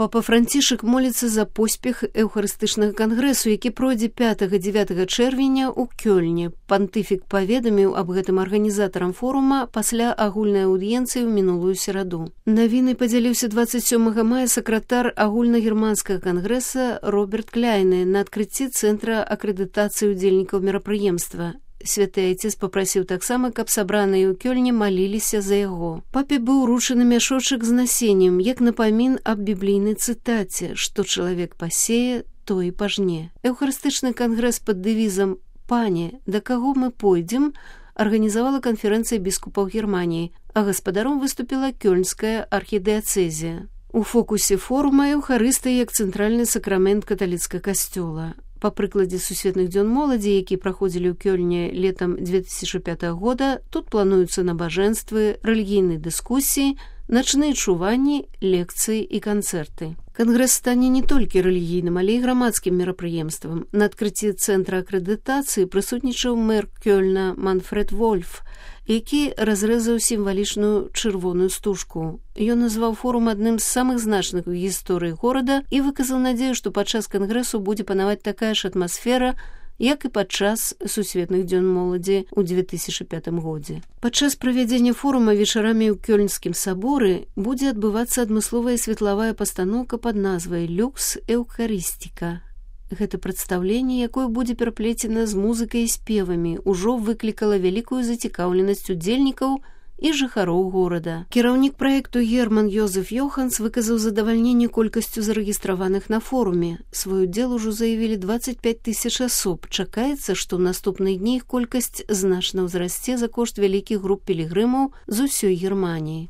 Папа Францішак моліцца за поспех эўхарыстычнага кангрэсу, які пройдзе 5-9 чэрвеня ў Кёльне. Пантыфік паведаміў аб гэтым арганізатарам форума пасля агульнай аўдыенцыі ў мінулую сераду. Навінай падзяліўся 27 мая сакратар агульнагерманскага кангрэса Роберт Кляйне на адкрыцці цэнтра акрэдытацыі ўдзельнікаў мерапрыемства. Святы Айцец папрасіў таксама, каб сабраныя ў Кёльне маліліся за яго. Папе быў уручаны мяшочак з насеннем, як напамін аб біблійнай цытаце, што чалавек пасее, то і пажне. Эўхарыстычны кангрэс пад дэвізам «Пане, да каго мы пойдзем» арганізавала канферэнцыя біскупаў Германіі, а гаспадаром выступіла Кёльнская архідыяцэзія. У фокусе форума эўхарыстыя як цэнтральны сакрамент каталіцкага касцёла. Па прыкладзе сусветных дзён моладзі, якія праходзілі ў Кёльне летам 2005 года, тут плануюцца набажэнствы, рэлігійныя дыскусіі, начныя чуванні, лекцыі і канцэрты. Кангрэс стане не толькі рэлігійным, але і грамадскім мерапрыемствам. На адкрыцці цэнтра акрэдытацыі прысутнічаў мэр Кёльна Манфред Вольф, які разрэзаў сімвалічную чырвоную стужку. Ён назваў форум адным з самых значных у гісторыі горада і выказаў надзею, што падчас кангрэсу будзе панаваць такая ж атмасфера, як і падчас сусветных дзён моладзі ў 2005 годзе. Падчас правядзення форума вечарамі ў Кёльнскім саборы будзе адбывацца адмысловая светлавая пастаноўка пад назвай «Люкс Эўхарыстіка». Гэта прадстаўленне, якое будзе пераплецена з музыкай і спевамі, ужо выклікала вялікую зацікаўленасць удзельнікаў і жыхароў горада. Кіраўнік праекту Герман Йозеф Йоханс выказаў задавальненне колькасцю зарэгістраваных на форуме. Свой удзел ужо заявілі 25 000 асоб. Чакаецца, што ў наступныя дні іх колькасць значна ўзрасце за кошт вялікіх груп пілігрымаў з усёй Германіі.